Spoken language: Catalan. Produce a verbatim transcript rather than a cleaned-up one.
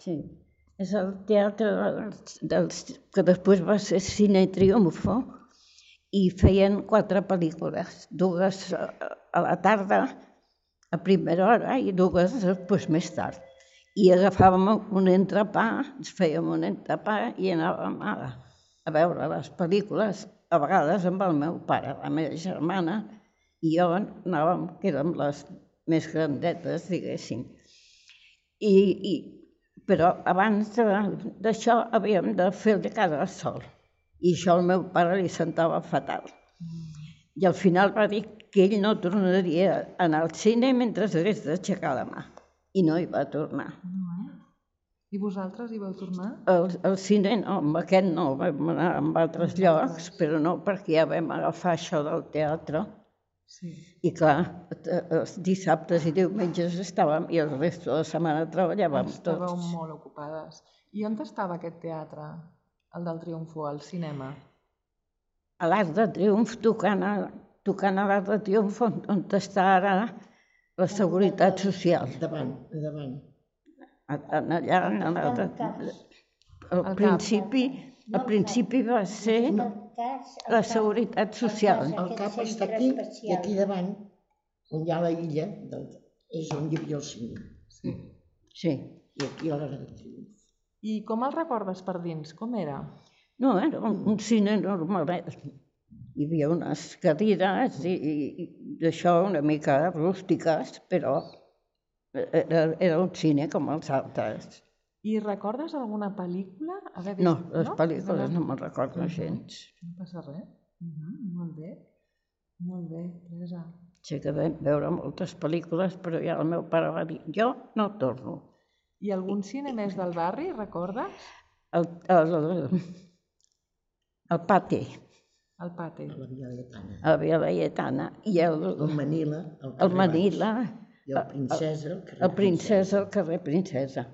Sí. És el teatre dels, que després va ser Cine Triunfo i feien quatre pel·lícules, dues a la tarda, a primera hora, i dues després més tard. I agafàvem un entrepà, ens fèiem un entrepà i anàvem a, a veure les pel·lícules, a vegades amb el meu pare, la meva germana, i jo anàvem, que érem les més grandetes, diguéssim. I, i, però abans d'això havíem de fer de cada sol. I això al meu pare li sentava fatal. I al final va dir que ell no tornaria a anar al cine mentre hagués d'aixecar la mà. I no hi va tornar. No, eh? I vosaltres hi vau tornar? Al, al cine no, amb aquest no, vam anar a altres llocs, però no perquè ja vam agafar això del teatre. Sí. I clar, els dissabtes i diumenges estàvem i el resto de la setmana treballàvem tots. Estàveu molt ocupades. I on estava aquest teatre, el del Triomfo, al cinema? A l'Arc de Triomf, tocant a, tocant a l'Arc de Triomf, on, on està ara la Seguretat Social. Davant, davant. Allà, en l'Arc de... Al principi, al principi va ser la Seguretat Social. El cap està aquí i aquí davant, on hi ha la illa, és on hi havia el cine. Sí. Sí. I aquí a l'Arc de Triomf. I com el recordes per dins? Com era? No, era un, un cine normal. Hi havia unes cadires i, i d'això una mica rústiques, però era, era un cine com els altres. I recordes alguna pel·lícula? Haver vist... No, les no? pel·lícules no me'n recordo gens. No passa res. Uh -huh, molt bé. Molt bé, Teresa. Sí que vam veure moltes pel·lícules, però ja el meu pare va dir, jo no torno. I algun cine més del barri, recordes? El, el, el Pati. El Pati. A la Via Laietana. A la Via Laietana. I el, el Manila. El Manila. I el Princesa, al carrer El Princesa, al carrer Princesa.